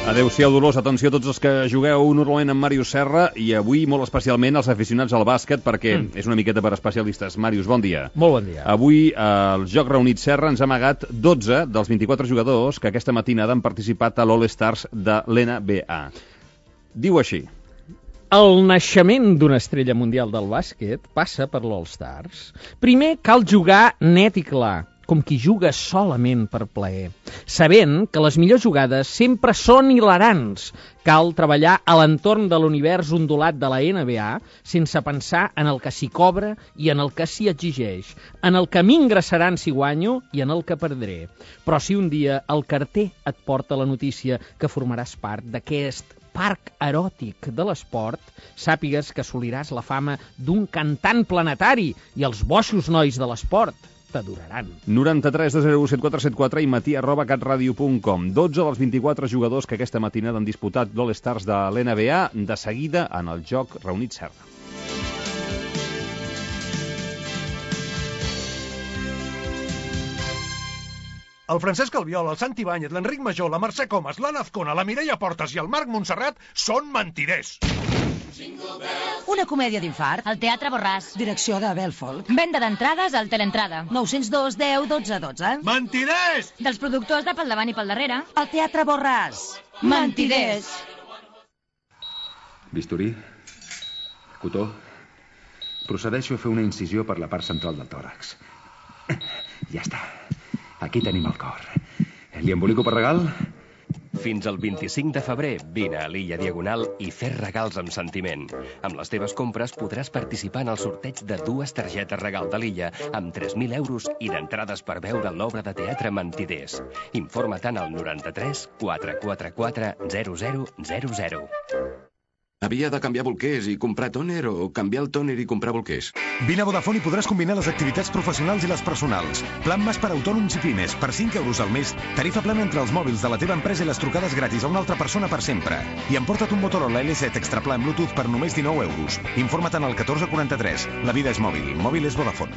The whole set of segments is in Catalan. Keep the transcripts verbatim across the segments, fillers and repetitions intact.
Adéu-siau, Dolors. Atenció a tots els que jugueu normalment amb Màrius Serra i avui molt especialment els aficionats al bàsquet perquè mm. és una miqueta per especialistes. Màrius, bon dia. Molt bon dia. Avui al Joc Reunit Serra ens ha amagat dotze dels vint-i-quatre jugadors que aquesta matinada han participat a l'All-Stars de l'N B A. Diu així. El naixement d'una estrella mundial del bàsquet passa per l'All-Stars. Primer cal jugar net i clar, com qui juga solament per plaer, sabent que les millors jugades sempre són hilarants. Cal treballar a l'entorn de l'univers ondulat de la N B A sense pensar en el que s'hi cobra i en el que s'hi exigeix, en el que m'ingressaran si guanyo i en el que perdré. Però si un dia el carter et porta la notícia que formaràs part d'aquest parc eròtic de l'esport, sàpigues que assoliràs la fama d'un cantant planetari i els boixos nois de l'esport t'adoraran. noranta-tres de zero set quatre set quatre i matí arroba catradio punt com. dotze dels vint-i-quatre jugadors que aquesta matinada han disputat l'All-Stars de l'N B A, de seguida en el Joc Reunit Serra. El Francesc Albiol, el Santi Báñez, l'Enric Major, la Mercè Comas, l'Anna Azcona, la Mireia Portes i el Marc Montserrat són mentiders. Una comèdia d'infart. El Teatre Borràs. Direcció de Belfolk. Venda d'entrades al Teleentrada. nou zero dos deu dotze dotze. Mentiders! Dels productors de pel davant i pel darrere. El Teatre Borràs. Mentiders. Bisturí. Cotó. Procedeixo a fer una incisió per la part central del tòrax. Ja està. Aquí tenim el cor. Li embolico per regal? Fins al vint-i-cinc de febrer, vine a l'Illa Diagonal i fes regals amb sentiment. Amb les teves compres podràs participar en el sorteig de dues targetes regal de l'Illa amb tres mil euros i d'entrades per veure l'obra de teatre Mentiders. Informa-te'n al noranta-tres quatre quatre quatre zero zero zero zero. Havia de canviar bolquers i comprar tòner o canviar el tòner i comprar bolquers? Vine a Vodafone i podràs combinar les activitats professionals i les personals. Plan Mas per autònoms i pimes, per cinc euros al mes. Tarifa plana entre els mòbils de la teva empresa i les trucades gratis a una altra persona per sempre. I emporta't un Motorola L set extra pla en Bluetooth per només dinou euros. Informa't al catorze quaranta-tres. La vida és mòbil. Mòbil és Vodafone.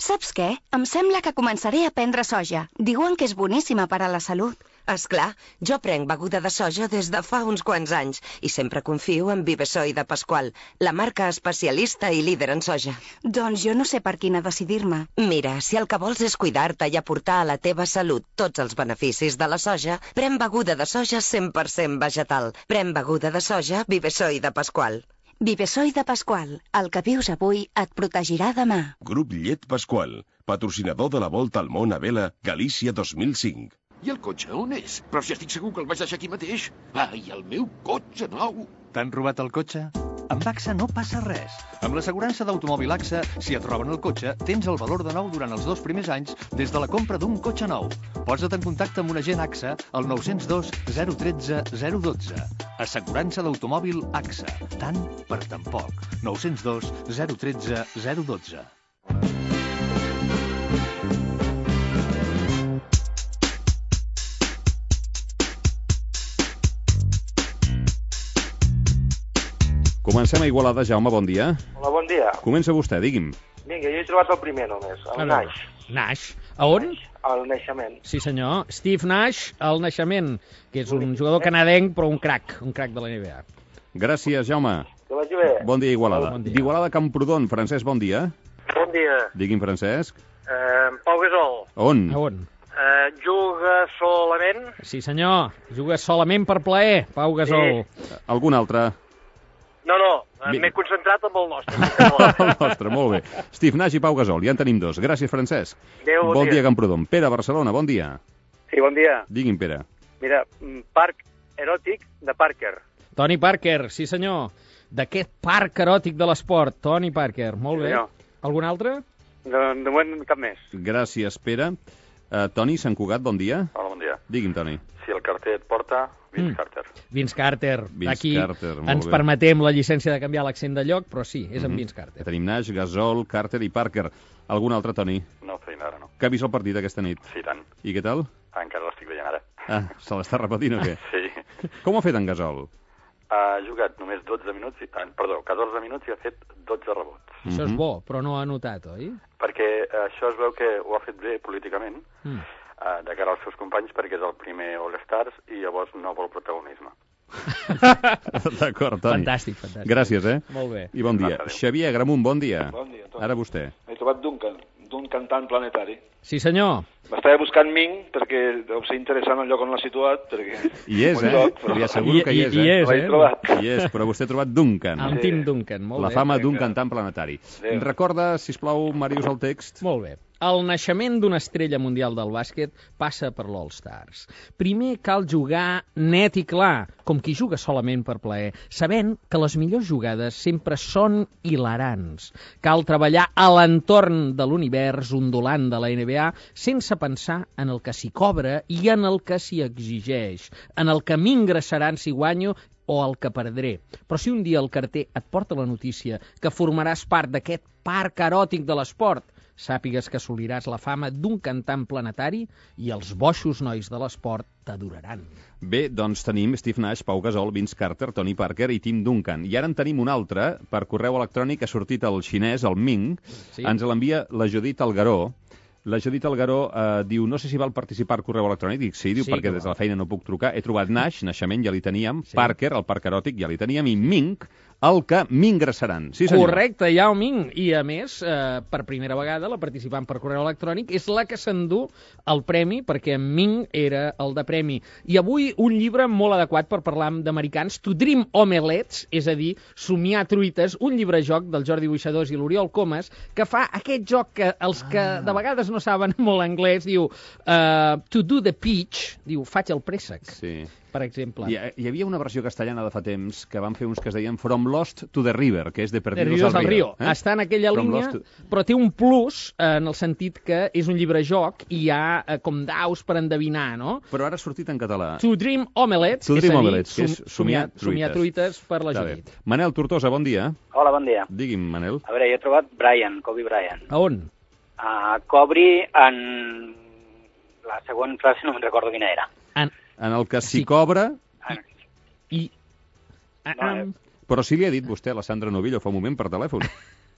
Saps què? Em sembla que començaré a prendre soja. Diuen que és boníssima per a la salut. Esclar, jo prenc beguda de soja des de fa uns quants anys i sempre confio en Vivesoy de Pasqual, la marca especialista i líder en soja. Doncs jo no sé per quina decidir-me. Mira, si el que vols és cuidar-te i aportar a la teva salut tots els beneficis de la soja, pren beguda de soja cent per cent vegetal. Pren beguda de soja Vivesoy de Pasqual. Vivesoy de Pasqual. El que vius avui et protegirà demà. Grup Llet Pasqual, patrocinador de la Volta al Món a Vela, Galícia dos mil cinc. I el cotxe on és? Però si estic segur que el vaig deixar aquí mateix. Ai, el meu cotxe nou! T'han robat el cotxe? Amb A X A no passa res. Amb l'assegurança d'automòbil A X A, si et roben el cotxe, tens el valor de nou durant els dos primers anys des de la compra d'un cotxe nou. Posa't en contacte amb un agent A X A al nou zero dos zero un tres zero un dos. Assegurança d'automòbil A X A. Tant per tan poc. nou zero dos zero un tres zero un dos. Comencem a Igualada. Jaume, bon dia. Hola, bon dia. Comença vostè, digui'm. Vinga, jo he trobat el primer només, el Nash. Nash. A on? Al naixement. Sí, senyor. Steve Nash, al naixement, que és un jugador canadenc, però un crac, un crac de la N B A. Gràcies, Jaume. Que vagi bé. Bon dia, Igualada. Bon dia. D'Igualada a Camprodon, Francesc, bon dia. Bon dia. Digui'm, Francesc. Eh, Pau Gasol. On? A on? Eh, juga solament? Sí, senyor. Juga solament per plaer, Pau Gasol. Sí. Algun altre? No, no, m'he concentrat amb el nostre. El nostre, molt bé. Steve Nash i Pau Gasol, ja en tenim dos. Gràcies, Francesc. Adéu, bon, bon dia. dia, Camprodon. Pere, Barcelona, bon dia. Sí, bon dia. Digui'm, Pere. Mira, parc eròtic de Parker. Tony Parker, sí senyor. D'aquest parc eròtic de l'esport, Tony Parker. Molt Sí, bé. senyor. Algun altre? De, de moment cap més. Gràcies, Pere. Uh, Toni Sant Cugat, bon dia. Hola, bon dia. Digui'm, Toni. Si el carter et porta, Vince mm. Carter. Vince Carter. Vince Aquí Carter, molt ens bé. permetem la llicència de canviar l'accent de lloc, però sí, és mm-hmm. en Vince Carter. Tenim Nash, Gasol, Carter i Parker. Algun altre, Toni? No, feina ara no. Que ha vist el partit aquesta nit? Sí, tant. I què tal? Ah, encara l'estic veient ara. Ah, se l'està repetint o què? Sí. Com ha fet en Gasol? Ha jugat només dotze minuts, i, ah, perdó, catorze minuts i ha fet dotze rebots. Mm-hmm. Això és bo, però no ha anotat, oi? Perquè això es veu que ho ha fet bé políticament. Mm. uh, de cara als seus companys perquè és el primer All-Stars i llavors no vol protagonisme. D'acord, Toni. Fantàstic, fantàstic. Gràcies, eh? Molt bé. I bon dia. Xavier Agramunt, bon dia. Bon dia, Toni. Ara vostè. He trobat Duncan, d'un cantant planetari. Sí, senyor. M'estava buscant Ming perquè deu ser interessant el lloc on l'ha situat, perquè... Hi és, eh? Lloc, però... Li asseguro que hi és, eh? Hi és, eh? trobat. Hi és, però vostè ha trobat Duncan. El Tim Duncan, molt La bé. fama d'un cantant planetari. Recorda, sisplau, Màrius, el text. Molt bé. El naixement d'una estrella mundial del bàsquet passa per l'All-Stars. Primer cal jugar net i clar, com qui juga solament per plaer, sabent que les millors jugades sempre són hilarants. Cal treballar a l'entorn de l'univers ondulant de la N B A sense pensar en el que s'hi cobra i en el que s'hi exigeix, en el que m'ingressaran si guanyo o el que perdré. Però si un dia el carter et porta la notícia que formaràs part d'aquest parc eròtic de l'esport, sàpigues que assoliràs la fama d'un cantant planetari i els boixos nois de l'esport t'adoraran. Bé, doncs tenim Steve Nash, Pau Gasol, Vince Carter, Tony Parker i Tim Duncan. I ara en tenim un altre, per correu electrònic ha sortit el xinès, el Ming, Sí. ens l'envia la Judit Algaró. La Judit Algaró eh, diu, no sé si val participar al correu electrònic. Dic, sí, diu, Sí, perquè que des val. de la feina no puc trucar. He trobat Nash, naixement ja li teníem, Parker, el parc eròtic ja li teníem, i Ming, el que m'ingressaran. Sí, senyor. Correcte, Yao Ming. I, a més, eh, per primera vegada, la participant per correu electrònic és la que s'endú el premi, perquè en Ming era el de premi. I avui un llibre molt adequat per parlar d'americans, To Dream Omelets, és a dir, somiar truites, un llibre-joc del Jordi Boixadors i l'Oriol Comas, que fa aquest joc que els que Ah. de vegades no saben molt anglès, diu uh, To do the pitch, diu, faig el préssec. Sí. Per exemple. Hi, hi havia una versió castellana de fa temps que van fer uns que es deien From Lost to the River, que és de De Perdidos Ríos al al Río. Río. Eh? Està en aquella From línia, Lost to... però té un plus eh, en el sentit que és un llibre-joc i hi ha eh, com daus per endevinar, no? Però ara ha sortit en català. To Dream Omelets, To és Dream a dir, Omelets, que és som- somiar truites. somiar truites per la Està bé. Judit. Manel Tortosa, bon dia. Hola, bon dia. Digui'm, Manel. A veure, jo he trobat Brian, Kobe Bryant. A on? Uh, cobri en... La següent frase no me'n recordo quina era. En, en el que s'hi cobra... I... No, eh, Però sí li ha dit vostè a la Sandra Novillo fa un moment per telèfon.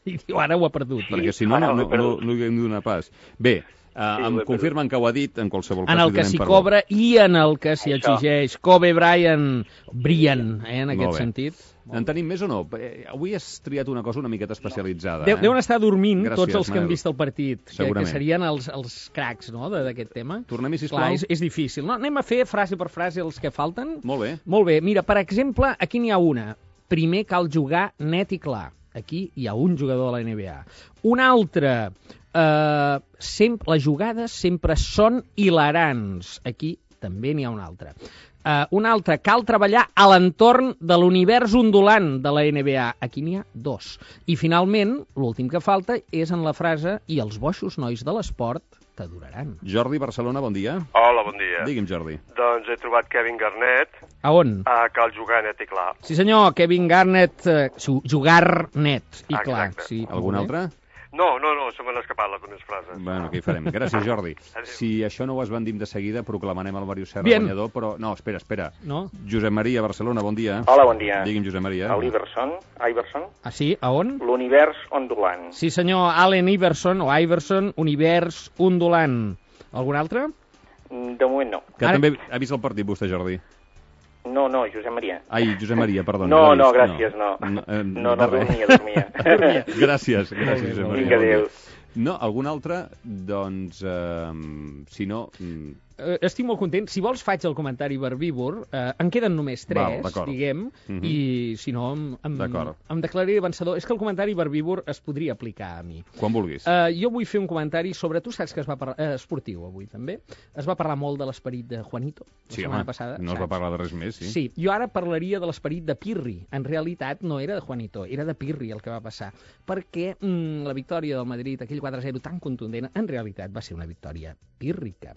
I diu, ara ho ha perdut. Perquè si no, no, no, no, no hi hem de donar pas. Bé, uh, em confirmen que ho ha dit, en qualsevol cas. En el que s'hi cobra i en el que s'hi exigeix. Kobe Bryant, Brian, eh, en aquest sentit. En tenim més o no? Eh, Avui has triat una cosa una miqueta especialitzada. Deu, eh? deuen estar dormint Gràcies, tots els que Manel. han vist el partit, que, que Segurament. serien els, els cracs, no?, de- d'aquest tema. Tornem-hi, sisplau. Clar, és, és difícil. No, anem a fer frase per frase els que falten. Molt bé. Molt bé. Mira, per exemple, aquí n'hi ha una. Primer cal jugar net i clar. Aquí hi ha un jugador de la N B A. Un altre, eh, sempre, les jugades sempre són hilarants. Aquí també n'hi ha un altre. Uh, un altre, cal treballar a l'entorn de l'univers ondulant de la N B A. Aquí n'hi ha dos. I finalment, l'últim que falta és en la frase i els boixos nois de l'esport t'adoraran. Jordi, Barcelona, bon dia. Hola, bon dia. Digui'm, Jordi. Doncs he trobat Kevin Garnett A on? a Cal Jugar Net i Clar. Sí senyor, Kevin Garnett, eh, su- jugar net i Exacte. clar. Sí, Algun molt bé. No, altre? no, no, se m'han escapat les meves frases. Bueno, què hi farem? Gràcies, Jordi. Adéu. Si això no ho esbandim de seguida, proclamarem el Màrius Serra Bien. guanyador, però... No, espera, espera. No? Josep Maria, Barcelona, bon dia. Hola, bon dia. Digui'm, Josep Maria. A l'Iverson, Iverson, Ah, sí? A on? l'univers ondulant. Sí senyor, Allen Iverson, o Iverson, univers ondulant. Algun altre? Mm, De moment no. Que també ha vist el partit, vostè, Jordi. No, no, Josep Maria. Ai, Josep Maria, perdona. No, l'ha no, vist, gràcies, no. No, eh, No, no, de res. dormia, dormia. Dormia. Gràcies, gràcies, Josep Maria. Vinga, bon dia. adéu. No, algun altre? Doncs, eh, si no... mm, Eh, estic molt content. Si vols faig el comentari verbívor. Eh, en queden només Val, tres, d'acord. diguem, Mhm. i si no em, em, D'acord. em declararé vencedor. És que el comentari verbívor es podria aplicar a mi. Quan vulguis. Uh, jo vull fer un comentari sobre... Tu saps que es va parlar... Eh, esportiu, avui, també. Es va parlar molt de l'esperit de Juanito, la Sí, setmana home, passada. no es va saps? parlar de res més, sí. Sí, jo ara parlaria de l'esperit de Pirri. En realitat no era de Juanito, era de Pirri el que va passar. Perquè mm, la victòria del Madrid, aquell quatre a zero tan contundent, en realitat va ser una victòria pírrica.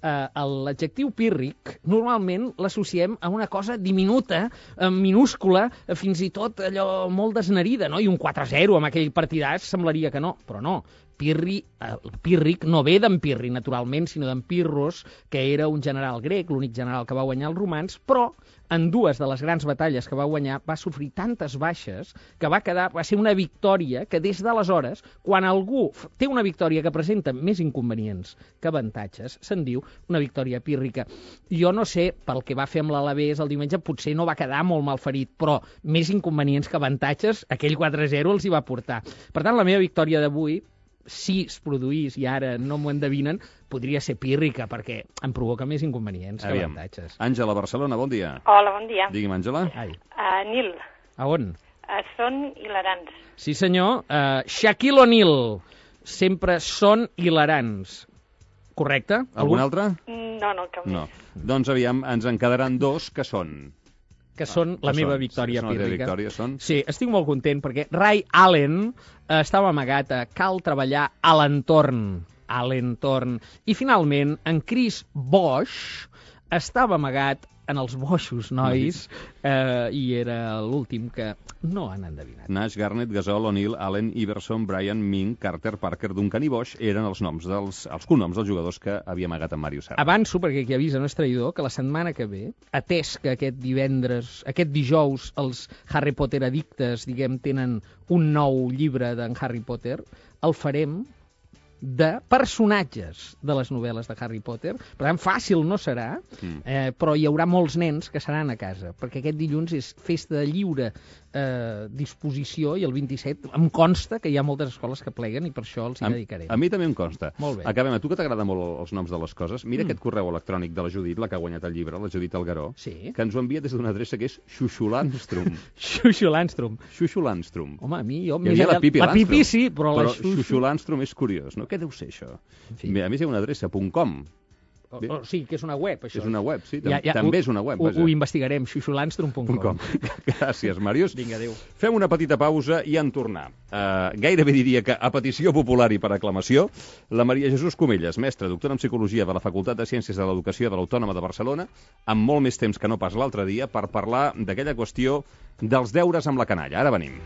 Uh, L'adjectiu pírric normalment l'associem a una cosa diminuta, eh, minúscula, eh, fins i tot allò molt desnerida, no? I un quatre a zero amb aquell partidàs semblaria que no, però no. Pirri, eh, Pírric no ve d'en Pirri, naturalment, sinó d'en Pirros, que era un general grec, l'únic general que va guanyar els romans, però en dues de les grans batalles que va guanyar va sofrir tantes baixes que va quedar, va ser una victòria que des d'aleshores, quan algú té una victòria que presenta més inconvenients que avantatges, se'n diu una victòria pírrica. Jo no sé, pel que va fer amb l'Alavés el diumenge, potser no va quedar molt malferit, però més inconvenients que avantatges, aquell quatre a zero els hi va portar. Per tant, la meva victòria d'avui, si es produís, i ara no m'ho endevinen, podria ser pírrica, perquè em provoca més inconvenients que Aviam. avantatges. Àngela, Barcelona, bon dia. Hola, bon dia. Digui'm, Àngela. Uh, Nil, A on? uh, són hilarants. Sí, senyor. Uh, Shaquille O'Neal. Sempre són hilarants. Correcte? Algun altre? No, no, cap No. Doncs aviam, ens en quedaran dos que són... que són la que meva són? victòria Sí, són la teva pírrica. victòria, són? Sí, estic molt content perquè Ray Allen eh, estava amagat a Cal treballar a l'entorn, a l'entorn. I finalment, en Chris Bosch estava amagat en els boixos, nois, eh, i era l'últim que no han endevinat. Nash, Garnett, Gasol, O'Neal, Allen, Iverson, Brian, Ming, Carter, Parker, Duncan i Bosch eren els noms dels, els cognoms dels jugadors que havia amagat en Mario Serra. Avanço, perquè qui avisa no és traïdor, que la setmana que ve, atès que aquest divendres, aquest dijous, els Harry Potter addictes, diguem, tenen un nou llibre d'en Harry Potter, el farem de personatges de les novel·les de Harry Potter. Per tant, fàcil no serà, Mm. eh, però hi haurà molts nens que seran a casa, perquè aquest dilluns és festa de lliure eh, disposició, i el vint-i-set em consta que hi ha moltes escoles que pleguen i per això els hi A, dedicarem. a mi també em consta. Molt bé. Acabem. A tu que t'agrada molt els noms de les coses, mira Mm. aquest correu electrònic de la Judit, la que ha guanyat el llibre, la Judit Algaró, sí. que ens ho envia des d'una adreça que és Xuxulanstrum. Xuxulanstrum. Xuxulanstrum. Home, a mi... Jo, Hi havia la Pipi la Landstrum. Pipi sí, però, però la Xuxu... Xuxulanstrum és curiós, no? Què deu ser això? En fi. A més, hi ha una adreça, .com. O, o, sí, que és una web, això. És una web, sí, tam també ho, és una web. Ho, Vaja. ho investigarem, xuxulanstrum punt com. Gràcies, Màrius. Vinga, adéu. Fem una petita pausa i en tornar. Uh, gairebé diria que a petició popular i per aclamació, la Maria Jesús Comelles, mestra, doctora en Psicologia de la Facultat de Ciències de l'Educació de l'Autònoma de Barcelona, amb molt més temps que no pas l'altre dia, per parlar d'aquella qüestió dels deures amb la canalla. Ara venim.